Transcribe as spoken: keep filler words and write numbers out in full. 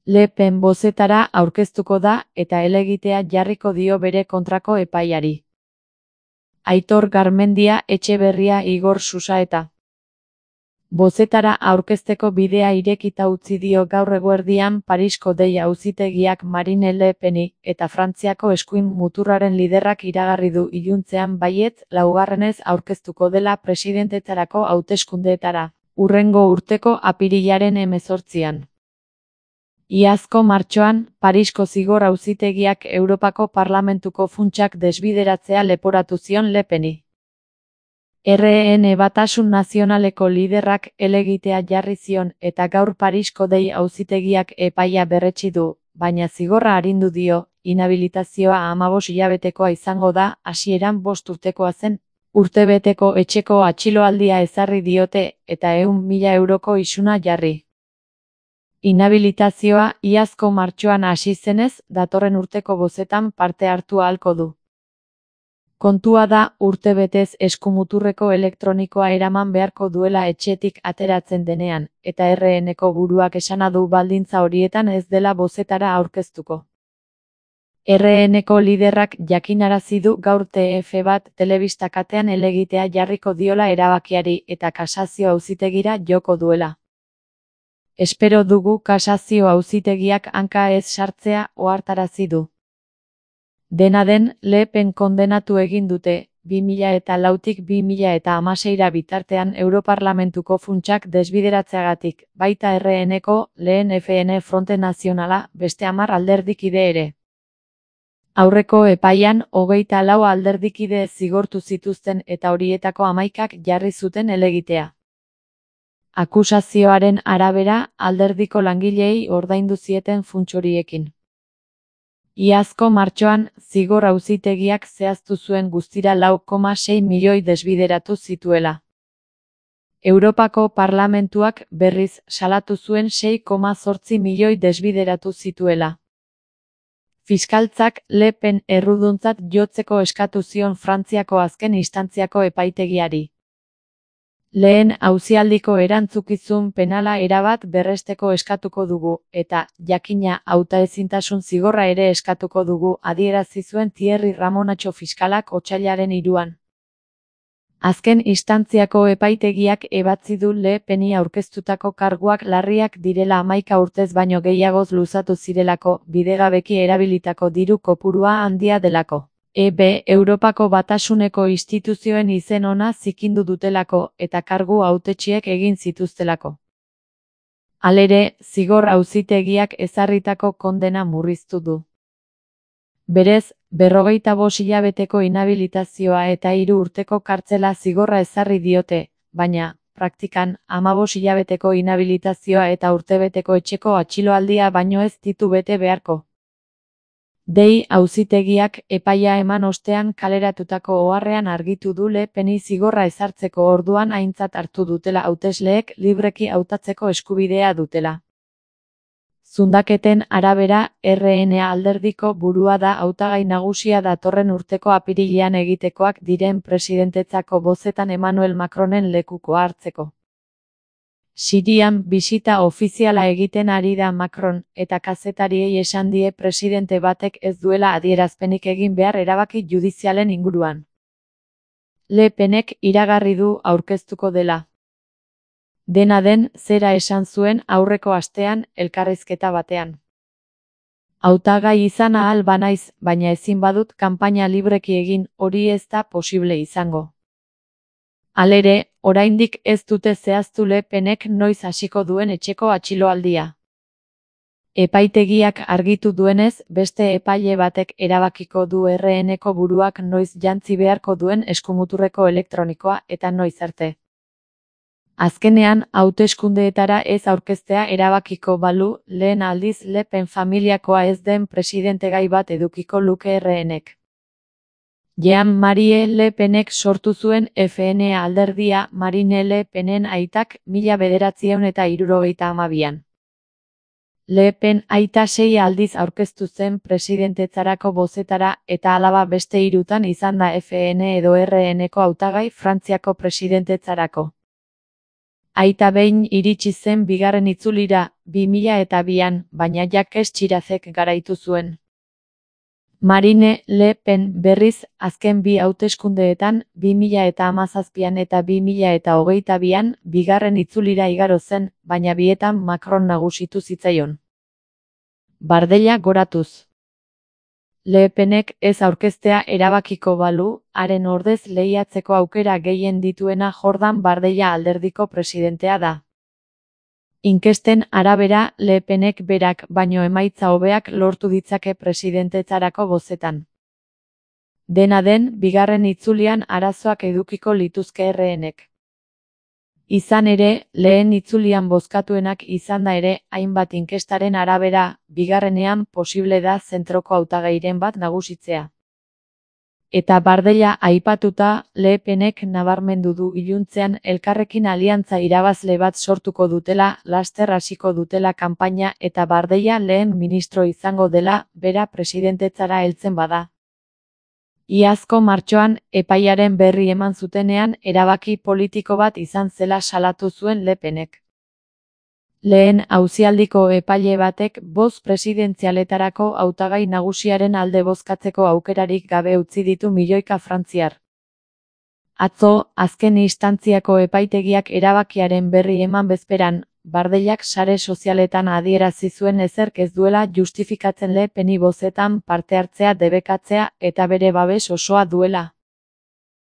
Le Pen bozetara aurkeztuko da eta helegitea jarriko dio bere kontrako epaiari. Aitor Garmendia, Etxeberria, Igor Susaeta. Bozetara aurkezteko bidea irekita utzi dio gaur eguerdian Parisko Dei auzitegiak Marine Le Peni, eta Frantziako eskuin muturraren liderrak iragarri du iluntzean baietz laugarrenez aurkeztuko dela presidentetzarako hauteskundeetara, hurrengo urteko apirilaren hemezortzian. Iazko martxoan, Parisko zigor auzitegiak Europako Parlamentuko funtsak desbideratzea leporatu zion Le Peni. R N Batasun Nazionaleko liderrak helegitea jarri zion eta gaur Parisko Dei auzitegiak epaia berretsi du, baina zigorra arindu dio, inhabilitazioa hamabost hilabetekoa izango da, hasieran bost urtekoa zen, urtebeteko etxeko atxiloaldia ezarri diote eta ehun mila euroko isuna jarri. Inhabilitazioa iazko martxoan hasi zenez, datorren urteko bozetan parte hartu ahalko du. Kontua da, urtebetez eskumuturreko elektronikoa eraman beharko duela etxetik ateratzen denean, eta R N-ko buruak esana du baldintza horietan ez dela bozetara aurkeztuko. R N-ko liderrak jakinarazi du gaur T F bat telebistakatean helegitea jarriko diola erabakiari eta kasazio auzitegira joko duela. Espero dugu kasazio auzitegiak hanka ez sartzea ohartarazi du. Dena den, Le Pen kondenatu egin dute, bi mila eta lautik bi mila eta hamaseira bitartean Europarlamentuko funtsak desbideratzeagatik, baita R N-ko, lehen F N Fronte Nazionala, beste hamar alderdikide ere. Aurreko epaian, hogeita lau alderdikide zigortu zituzten eta horietako hamaikak jarri zuten helegitea. Akusazioaren arabera, alderdiko langileei ordaindu zieten funts horiekin. Iazko martxoan, zigor auzitegiak zehaztu zuen guztira lau koma sei milioi desbideratu zituela. Europako Parlamentuak berriz salatu zuen sei koma zortzi milioi desbideratu zituela. Fiskaltzak Le Pen erruduntzat jotzeko eskatu zion Frantziako azken instantziako epaitegiari. Lehen auzialdiko erantzukizun penala erabat berresteko eskatuko dugu, eta, jakina, hautaezintasun zigorra ere eskatuko dugu, adierazi zuen Thierry Ramonatxo fiskalak otsailaren hiruan. Azken instantziako epaitegiak ebatzi du Le Peni aurkeztutako karguak larriak direla hamaika urtez baino gehiagoz luzatu zirelako, bidegabeki erabilitako diru kopurua handia delako. E B Europako Batasuneko instituzioen izen ona zikindu dutelako eta kargu hautetsiek egin zituztelako. Halere, zigor auzitegiak ezarritako kondena murriztu du. Berez, berrogeita bost hilabeteko inhabilitazioa eta hiru urteko kartzela zigorra ezarri diote, baina, praktikan, hamabost hilabeteko inhabilitazioa eta urtebeteko etxeko atxiloaldia baino ez ditu bete beharko. Dei auzitegiak epaia eman ostean kaleratutako oharrean argitu du Le Peni zigorra ezartzeko orduan aintzat hartu dutela hautesleek libreki hautatzeko eskubidea dutela. Zundaketen arabera, R N alderdiko burua da hautagai nagusia datorren urteko apirilean egitekoak diren presidentetzako bozetan Emmanuel Macronen lekukoa hartzeko. Sirian bisita ofiziala egiten ari da Macron, eta kazetariei esan die presidente batek ez duela adierazpenik egin behar erabaki judizialen inguruan. Le Penek iragarri du aurkeztuko dela. Dena den, zera esan zuen aurreko astean, elkarrizketa batean. Hautagai izan ahal banaiz, baina ezin badut kanpaina libreki egin, hori ez da posible izango. Halere, oraindik ez dute zehaztu Le Penek noiz hasiko duen etxeko atxiloaldia. Epaitegiak argitu duenez, beste epaile batek erabakiko du R N-ko buruak noiz jantzi beharko duen eskumuturreko elektronikoa eta noiz arte. Azkenean, hauteskundeetara ez aurkeztea erabakiko balu, lehen aldiz Le Pen familiakoa ez den presidentegai bat edukiko luke R N-ek. Jean-Marie Le Penek sortu zuen F N alderdia Marine Le Penen aitak mila bederatziehun eta hirurogeita hamabian. Le Pen aita sei aldiz aurkeztu zen presidentetzarako bozetara eta alaba beste hirutan izan da F N edo R N-ko hautagai Frantziako presidentetzarako. Aita behin iritsi zen bigarren itzulira, bi mila eta bian, baina Jacques Chiracek garaitu zuen. Marine Le Pen berriz, azken bi hauteskundeetan, bi mila eta hamazazpian eta bi mila eta hogeita bian, bigarren itzulira igaro zen, baina bietan Macron nagusitu zitzaion. Bardella goratuz. Le Penek ez aurkeztea erabakiko balu, haren ordez lehiatzeko aukera gehien dituena Jordan Bardella alderdiko presidentea da. Inkesten arabera, Le Penek berak baino emaitza hobeak lortu ditzake presidentetzarako bozetan. Dena den, bigarren itzulian arazoak edukiko lituzke erreenek. Izan ere, lehen itzulian bozkatuenak izan da ere, hainbat inkestaren arabera, bigarrenean posible da zentroko hautagairen bat nagusitzea. Eta Bardella aipatuta, Le Penek nabarmendu du iluntzean elkarrekin aliantza irabazle bat sortuko dutela, laster hasiko dutela kanpaina eta Bardella lehen ministro izango dela, bera presidentetzara heltzen bada. Iazko martxoan, epaiaren berri eman zutenean, erabaki politiko bat izan zela salatu zuen Le Penek. Lehen auzialdiko epaile batek boz presidentzialetarako hautagai nagusiaren alde bozkatzeko aukerarik gabe utzi ditu milioika frantziar. Atzo, azken instantziako epaitegiak erabakiaren berri eman bezperan, Bardellak sare sozialetan adierazi zuen ezerk ez duela justifikatzen Le Peni bozetan parte hartzea debekatzea eta bere babes osoa duela.